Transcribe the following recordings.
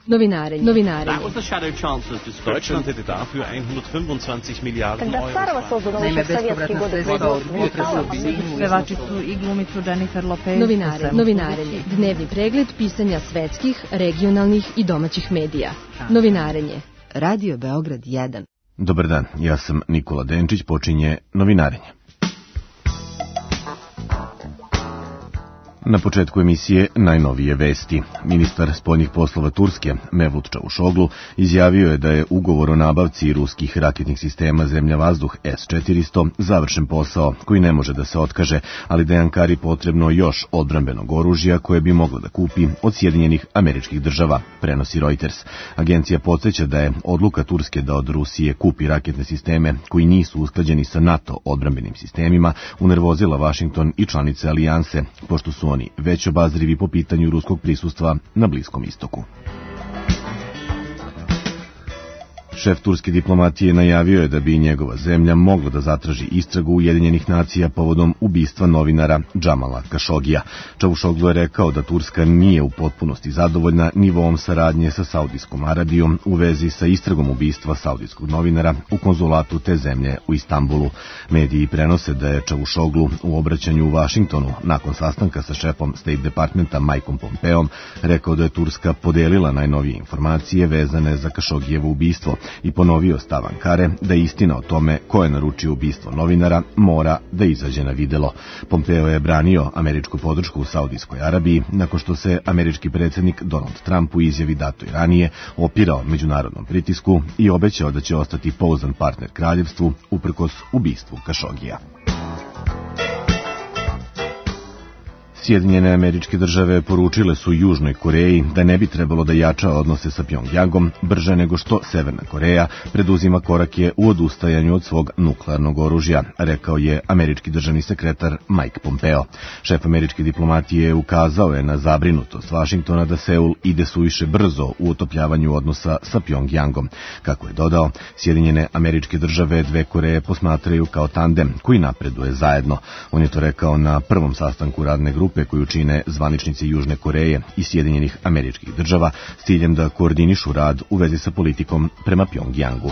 Novinarenje. Deutschland hätte dafür 125 Miliarden Когда Старого создано еще в советские годы производство металла, pevačicu i glumicu Jennifer Lopez. Novinarenje. Dnevni pregled pisanja svetskih, regionalnih i domaćih medija. Novinarenje. Radio Beograd 1. Dobar dan, ja sam Nikola Denčić, počinje Novinarenje. Na početku emisije najnovije vesti. Ministar spoljnih poslova Turske, Mevlut Čavuşoglu, izjavio je da je ugovor o nabavci ruskih raketnih sistema zemlja-vazduh S-400 završen posao koji ne može da se otkaže, ali da je Ankari potrebno još odbrambenog oružja koje bi moglo da kupi od Sjedinjenih Američkih Država, prenosi Reuters. Agencija podsjeća da je odluka Turske da od Rusije kupi raketne sisteme koji nisu usklađeni sa NATO odbrambenim sistemima unervozila Vašington i članice alijanse, pošto su oni već obazrivi po pitanju ruskog prisustva na Bliskom istoku. Šef turske diplomatije najavio je da bi njegova zemlja mogla da zatraži istragu Ujedinjenih nacija povodom ubistva novinara Džamala Kašogija. Čavuşoglu je rekao da Turska nije u potpunosti zadovoljna nivoom saradnje sa Saudijskom Arabijom u vezi sa istragom ubistva saudijskog novinara u konzulatu te zemlje u Istanbulu. Mediji prenose da je Čavuşoglu u obraćanju u Vašingtonu nakon sastanka sa šefom State Departmenta Mikeom Pompeom rekao da je Turska podelila najnovije informacije vezane za Kašogijevo ubistvo i ponovio stav Ankare da istina o tome ko je naručio ubistvo novinara mora da izađe na videlo. Pompeo je branio američku podršku u Saudijskoj Arabiji nakon što se američki predsjednik Donald Trump u izjavi datoj ranije opirao međunarodnom pritisku i obećao da će ostati pouzdan partner kraljevstvu uprkos ubistvu Kašogija. Sjedinjene Američke Države poručile su Južnoj Koreji da ne bi trebalo da jača odnose sa Pjongjangom brže nego što Severna Koreja preduzima korake u odustajanju od svog nuklearnog oružja, rekao je američki državni sekretar Mike Pompeo. Šef američke diplomatije ukazao je na zabrinutost Vašingtona da Seul ide suviše brzo u otopljavanju odnosa sa Pjongjangom. Kako je dodao, Sjedinjene Američke Države dve Koreje posmatraju kao tandem koji napreduje zajedno. On je to rekao na prvom sastanku radne grupe koju čine zvaničnici Južne Koreje i Sjedinjenih Američkih Država s ciljem da koordinišu rad u vezi sa politikom prema Pjongjangu.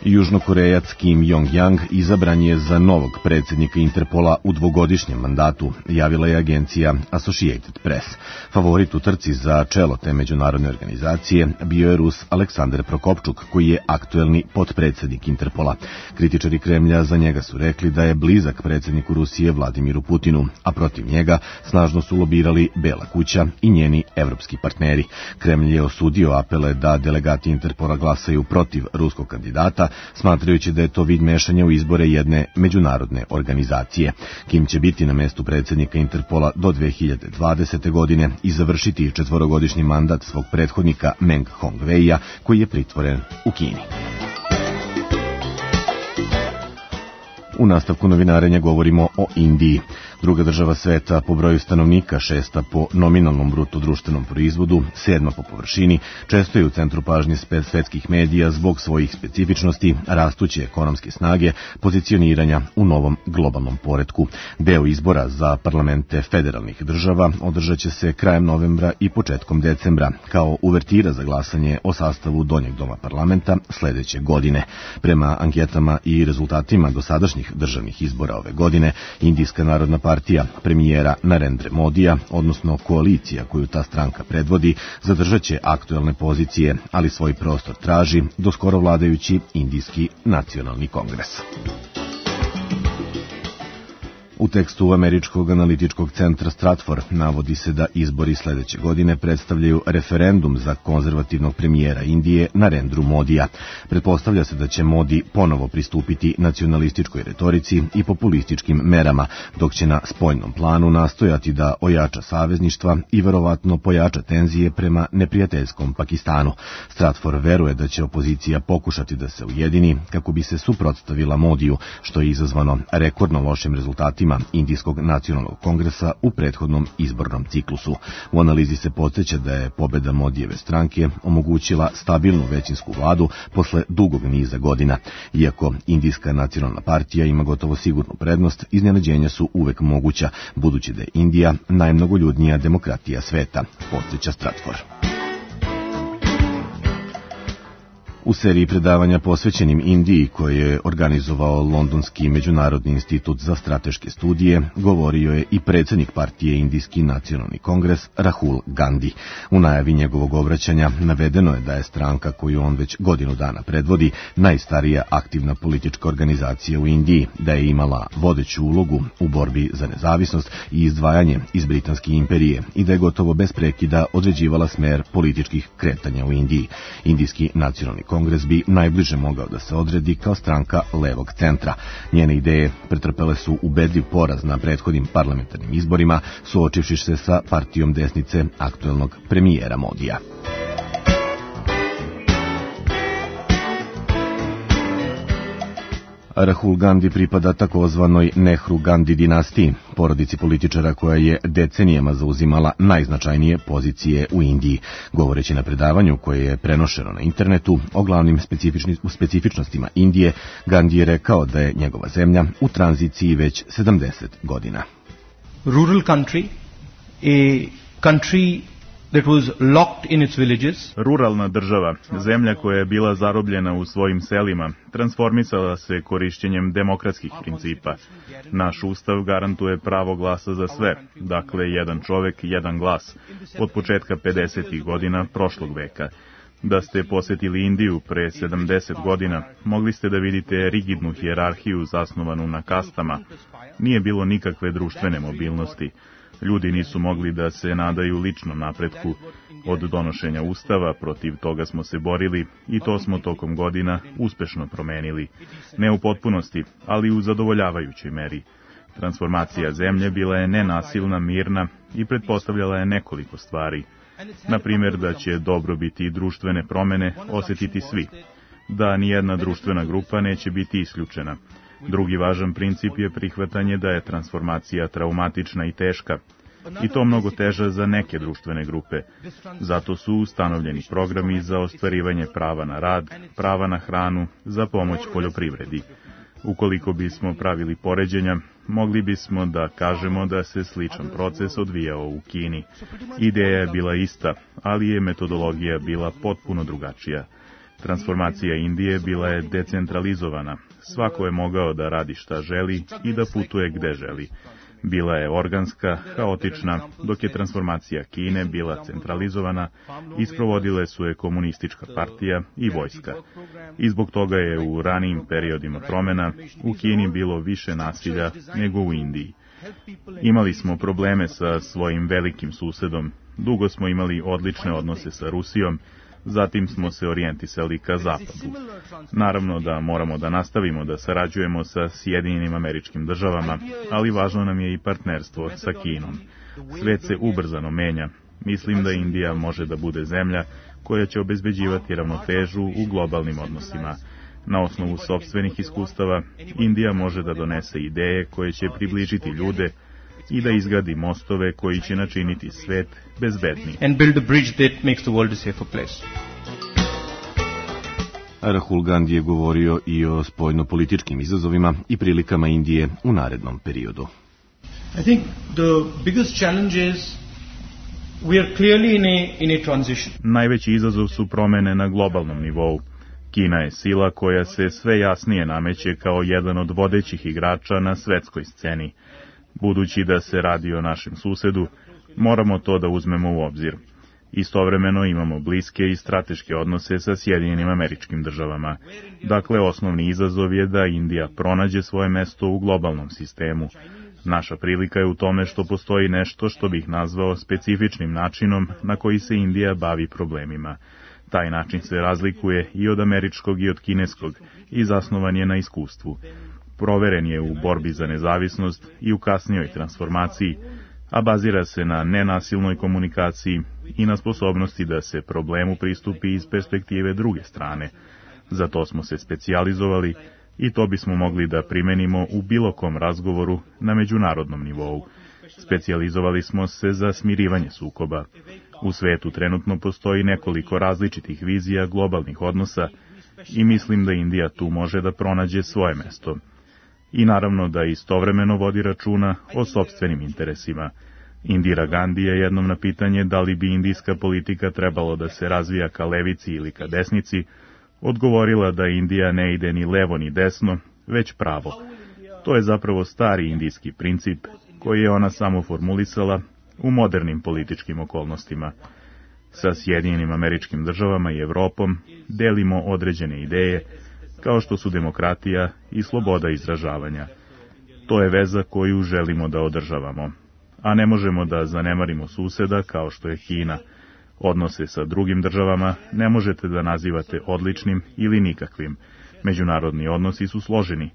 Južnokorejac Kim Jong-yang izabran je za novog predsjednika Interpola u dvogodišnjem mandatu, javila je agencija Associated Press. Favorit u trci za čelo te međunarodne organizacije bio je Rus Aleksandar Prokopčuk, koji je aktuelni potpredsjednik Interpola. Kritičari Kremlja za njega su rekli da je blizak predsjedniku Rusije Vladimiru Putinu, a protiv njega snažno su lobirali Bela kuća i njeni evropski partneri. Kremlj je osudio apele da delegati Interpola glasaju protiv ruskog kandidata, smatrajući da je to vid mešanja u izbore jedne međunarodne organizacije. Kim će biti na mestu predsjednika Interpola do 2020. godine i završiti četvorogodišnji mandat svog prethodnika Meng Hongweia, koji je pritvoren u Kini. U nastavku novinarenja govorimo o Indiji. Druga država sveta po broju stanovnika, šesta po nominalnom bruto društvenom proizvodu, sedma po površini, često je u centru pažnje svetskih medija zbog svojih specifičnosti, rastuće ekonomske snage, pozicioniranja u novom globalnom poretku. Deo izbora za parlamente federalnih država održat će se krajem novembra i početkom decembra, kao uvertira za glasanje o sastavu donjeg doma parlamenta sledeće godine. Prema anketama i rezultatima dosadašnjih državnih izbora ove godine, Indijska narodna partija premijera Narendra Modija, odnosno koalicija koju ta stranka predvodi, zadržat će aktuelne pozicije, ali svoj prostor traži do skoro vladajući Indijski nacionalni kongres. U tekstu Američkog analitičkog centra Stratfor navodi se da izbori sledeće godine predstavljaju referendum za konzervativnog premijera Indije Narendru Modija. Pretpostavlja se da će Modi ponovo pristupiti nacionalističkoj retorici i populističkim merama, dok će na spoljnom planu nastojati da ojača savezništva i verovatno pojača tenzije prema neprijateljskom Pakistanu. Stratfor veruje da će opozicija pokušati da se ujedini kako bi se suprotstavila Modiju, što je izazvano rekordno lošim rezultatima izborima Indijskog nacionalnog kongresa u prethodnom izbornom ciklusu. U analizi se podsjeća da je pobeda Modijeve stranke omogućila stabilnu većinsku vladu posle dugog niza godina. Iako Indijska nacionalna partija ima gotovo sigurnu prednost, iznenađenja su uvek moguća, budući da je Indija najmnogoljudnija demokratija sveta, podsjeća Stratfor. U seriji predavanja posvećenim Indiji, koje je organizovao Londonski međunarodni institut za strateške studije, govorio je i predsjednik partije Indijski nacionalni kongres Rahul Gandhi. U najavi njegovog obraćanja navedeno je da je stranka koju on već godinu dana predvodi najstarija aktivna politička organizacija u Indiji, da je imala vodeću ulogu u borbi za nezavisnost i izdvajanje iz Britanske imperije i da je gotovo bez prekida određivala smer političkih kretanja u Indiji. Indijski nacionalni kongres bi najbliže mogao da se odredi kao stranka levog centra. Njene ideje pretrpele su ubedljiv poraz na prethodnim parlamentarnim izborima, suočivši se sa partijom desnice aktuelnog premijera Modija. Rahul Gandhi pripada takozvanoj Nehru-Gandhi dinastiji, porodici političara koja je decenijama zauzimala najznačajnije pozicije u Indiji. Govoreći na predavanju koje je prenošeno na internetu o glavnim specifičnostima Indije, Gandhi je rekao da je njegova zemlja u tranziciji već 70 godina. Rural country, a country that was locked in its villages. Ruralna država, zemlja koja je bila zarobljena u svojim selima, transformisala se korišćenjem demokratskih principa. Naš ustav garantuje pravo glasa za sve, dakle jedan čovek, jedan glas, od početka 50. godina prošlog veka. Da ste posjetili Indiju pre 70 godina, mogli ste da vidite rigidnu hijerarhiju zasnovanu na kastama. Nije bilo nikakve društvene mobilnosti. Ljudi nisu mogli da se nadaju ličnom napretku. Od donošenja ustava protiv toga smo se borili i to smo tokom godina uspešno promenili. Ne u potpunosti, ali u zadovoljavajućoj meri. Transformacija zemlje bila je nenasilna, mirna i pretpostavljala je nekoliko stvari. Na primjer, da će dobrobiti i društvene promene osjetiti svi. Da nijedna društvena grupa neće biti isključena. Drugi važan princip je prihvatanje da je transformacija traumatična i teška, i to mnogo teža za neke društvene grupe. Zato su ustanovljeni programi za ostvarivanje prava na rad, prava na hranu, za pomoć poljoprivredi. Ukoliko bismo pravili poređenja, mogli bismo da kažemo da se sličan proces odvijao u Kini. Ideja je bila ista, ali je metodologija bila potpuno drugačija. Transformacija Indije bila je decentralizovana. Svako je mogao da radi šta želi i da putuje gde želi. Bila je organska, haotična, dok je transformacija Kine bila centralizovana i sprovodile su je komunistička partija i vojska. I zbog toga je u ranijim periodima promena u Kini bilo više nasilja nego u Indiji. Imali smo probleme sa svojim velikim susedom, dugo smo imali odlične odnose sa Rusijom, zatim smo se orijentisali ka zapadu. Naravno da moramo da nastavimo da sarađujemo sa Sjedinjenim Američkim Državama, ali važno nam je i partnerstvo sa Kinom. Svet se ubrzano menja. Mislim da Indija može da bude zemlja koja će obezbeđivati ravnotežu u globalnim odnosima. Na osnovu sopstvenih iskustava, Indija može da donese ideje koje će približiti ljude i da izgradi mostove koji će načiniti svet bezbednim. And build a bridge that makes the world a safer place. Rahul Gandhi je govorio i o spoljnopolitičkim izazovima i prilikama Indije u narednom periodu. I think the biggest challenge is we are clearly in a transition. Najveći izazov su promene na globalnom nivou. Kina je sila koja se sve jasnije nameće kao jedan od vodećih igrača na svetskoj sceni. Budući da se radi o našem susedu, moramo to da uzmemo u obzir. Istovremeno imamo bliske i strateške odnose sa Sjedinjenim Američkim Državama. Dakle, osnovni izazov je da Indija pronađe svoje mesto u globalnom sistemu. Naša prilika je u tome što postoji nešto što bih nazvao specifičnim načinom na koji se Indija bavi problemima. Taj način se razlikuje i od američkog i od kineskog i zasnovan je na iskustvu. Proveren je u borbi za nezavisnost i u kasnijoj transformaciji, a bazira se na nenasilnoj komunikaciji i na sposobnosti da se problemu pristupi iz perspektive druge strane. Za to smo se specijalizovali i to bismo mogli da primenimo u bilo kom razgovoru na međunarodnom nivou. Specijalizovali smo se za smirivanje sukoba. U svetu trenutno postoji nekoliko različitih vizija globalnih odnosa i mislim da Indija tu može da pronađe svoje mesto. I naravno da istovremeno vodi računa o sopstvenim interesima. Indira Gandhi je jednom na pitanje da li bi indijska politika trebalo da se razvija ka levici ili ka desnici, odgovorila da Indija ne ide ni levo ni desno, već pravo. To je zapravo stari indijski princip koji je ona samo formulisala u modernim političkim okolnostima. Sa Sjedinjenim Američkim Državama i Evropom delimo određene ideje, kao što su demokratija i sloboda izražavanja. To je veza koju želimo da održavamo. A ne možemo da zanemarimo suseda kao što je Kina. Odnose sa drugim državama ne možete da nazivate odličnim ili nikakvim. Međunarodni odnosi su složeni.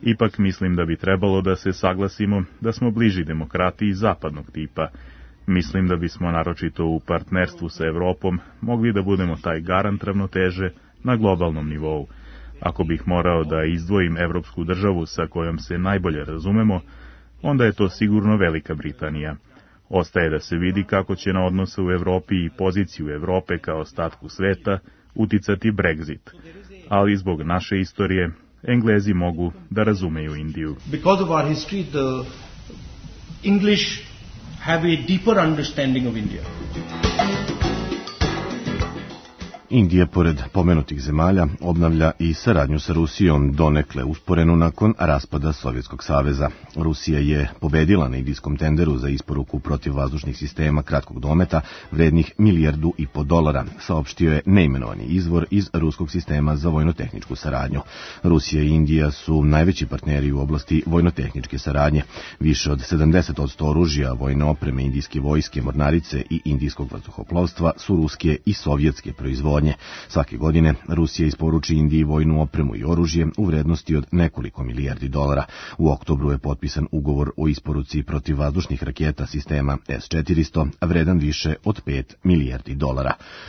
Ipak mislim da bi trebalo da se saglasimo da smo bliži demokratiji zapadnog tipa. Mislim da bismo naročito u partnerstvu sa Evropom mogli da budemo taj garant ravnoteže na globalnom nivou. Ako bih morao da izdvojim evropsku državu sa kojom se najbolje razumemo, onda je to sigurno Velika Britanija. Ostaje da se vidi kako će na odnose u Evropi i poziciju Evrope kao ostatku sveta uticati Brexit. Ali zbog naše istorije, Englezi mogu da razumeju Indiju. Because of our history, the English have a deeper understanding of India. Indija, pored pomenutih zemalja, obnavlja i saradnju sa Rusijom, donekle usporenu nakon raspada Sovjetskog saveza. Rusija je pobedila na indijskom tenderu za isporuku protivvazdušnih sistema kratkog dometa vrednih $1,5 milijardu, saopštio je neimenovani izvor iz ruskog sistema za vojnotehničku saradnju. Rusija i Indija su najveći partneri u oblasti vojnotehničke saradnje. Više od 70% oružja, vojne opreme indijske vojske, mornarice i indijskog vazduhoplovstva su ruske i sovjetske proizvodnje. Svake godine Rusija isporuči Indiji vojnu opremu i oružje u vrednosti od nekoliko milijardi dolara. U oktobru je potpisan ugovor o isporuci protivvazdušnih raketa sistema S-400, vredan više od $5 milijardi.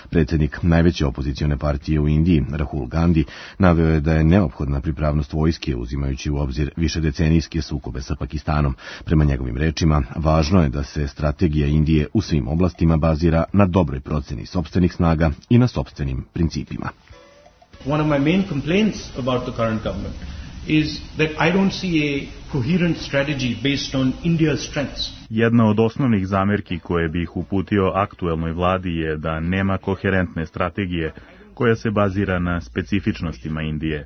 Predsjednik najveće opozicione partije u Indiji, Rahul Gandhi, naveo je da je neophodna pripravnost vojske uzimajući u obzir višedecenijske sukobe sa Pakistanom. Prema njegovim rečima, važno je da se strategija Indije u svim oblastima bazira na dobroj proceni sopstvenih snaga i na sopstvenim principima. One of my main complaints about the current government is that I don't see a coherent strategy based on India's strengths. Jedna od osnovnih zamerki koje bih uputio aktuelnoj vladi je da nema koherentne strategije koja se bazira na specifičnostima Indije.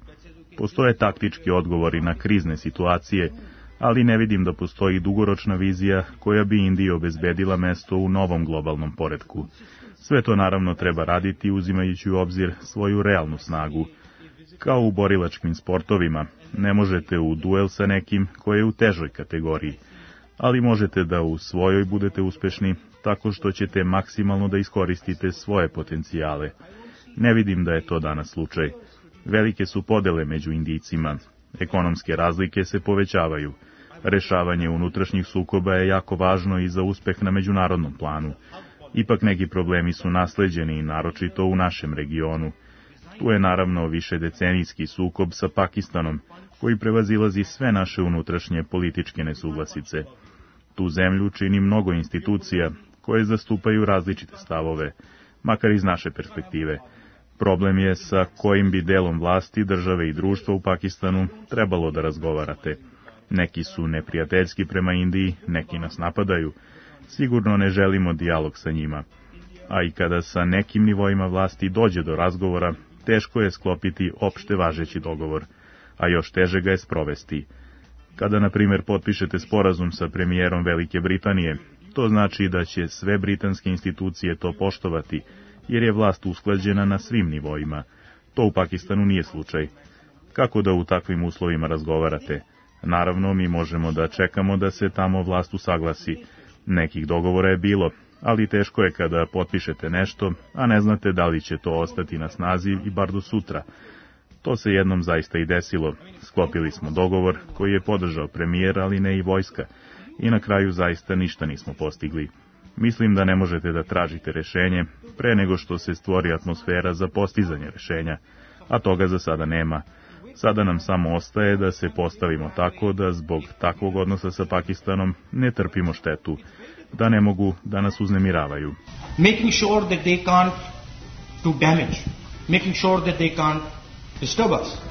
Postoje taktički odgovori na krizne situacije, ali ne vidim da postoji dugoročna vizija koja bi Indiji obezbedila mesto u novom globalnom poretku. Sve to naravno treba raditi uzimajući u obzir svoju realnu snagu. Kao u borilačkim sportovima, ne možete u duel sa nekim koji je u težoj kategoriji, ali možete da u svojoj budete uspešni tako što ćete maksimalno da iskoristite svoje potencijale. Ne vidim da je to danas slučaj. Velike su podele među Indijcima. Ekonomske razlike se povećavaju. Rešavanje unutrašnjih sukoba je jako važno i za uspeh na međunarodnom planu. Ipak neki problemi su nasleđeni, naročito u našem regionu. Tu je naravno višedecenijski sukob sa Pakistanom, koji prevazilazi sve naše unutrašnje političke nesuglasice. Tu zemlju čini mnogo institucija koje zastupaju različite stavove, makar iz naše perspektive. Problem je sa kojim bi delom vlasti, države i društva u Pakistanu trebalo da razgovarate. Neki su neprijateljski prema Indiji, neki nas napadaju. Sigurno ne želimo dijalog sa njima. A i kada sa nekim nivoima vlasti dođe do razgovora, teško je sklopiti opšte važeći dogovor, a još teže ga je sprovesti. Kada, na primjer, potpišete sporazum sa premijerom Velike Britanije, to znači da će sve britanske institucije to poštovati, jer je vlast usklađena na svim nivoima. To u Pakistanu nije slučaj. Kako da u takvim uslovima razgovarate? Naravno, mi možemo da čekamo da se tamo vlast usaglasi. Nekih dogovora je bilo, ali teško je kada potpišete nešto, a ne znate da li će to ostati na snazi i bar do sutra. To se jednom zaista i desilo. Sklopili smo dogovor koji je podržao premijer, ali ne i vojska. I na kraju zaista ništa nismo postigli. Mislim da ne možete da tražite rešenje pre nego što se stvori atmosfera za postizanje rešenja, a toga za sada nema. Sada nam samo ostaje da se postavimo tako da zbog takvog odnosa sa Pakistanom ne trpimo štetu, da ne mogu da nas uznemiravaju. Making sure that they can't do damage, making sure that they can't disturb us.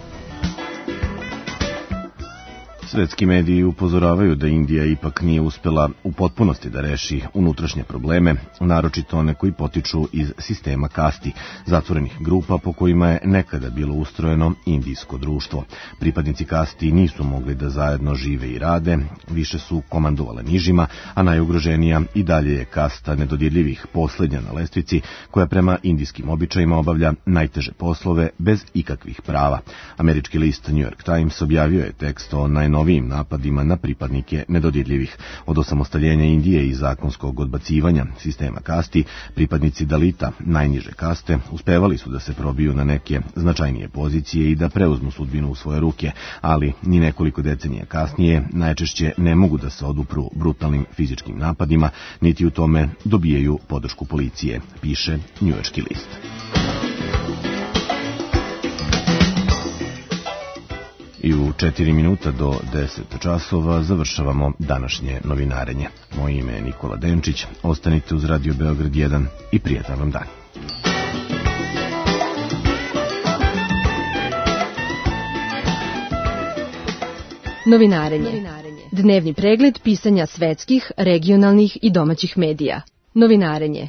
Svetski mediji upozoravaju da Indija ipak nije uspela u potpunosti da reši unutrašnje probleme, naročito one koji potiču iz sistema kasti, zatvorenih grupa po kojima je nekada bilo ustrojeno indijsko društvo. Pripadnici kasti nisu mogli da zajedno žive i rade, više su komandovale nižima, a najugroženija i dalje je kasta nedodirljivih, poslednja na lestvici, koja prema indijskim običajima obavlja najteže poslove bez ikakvih prava. Američki list New York Times objavio je tekst o najnovijim napadima na pripadnike nedodirljivih. Od osamostaljenja Indije i zakonskog odbacivanja sistema kasti, pripadnici Dalita, najniže kaste, uspevali su da se probiju na neke značajnije pozicije i da preuzmu sudbinu u svoje ruke, ali ni nekoliko decenija kasnije najčešće ne mogu da se odupru brutalnim fizičkim napadima, niti u tome dobijaju podršku policije, piše njujorški list. I u 4 minuta do 10 časova završavamo današnje novinarenje. Moje ime je Nikola Denčić, ostanite uz Radio Beograd 1 i prijatan vam dan. Novinarenje. Dnevni pregled pisanja svetskih, regionalnih i domaćih medija. Novinarenje.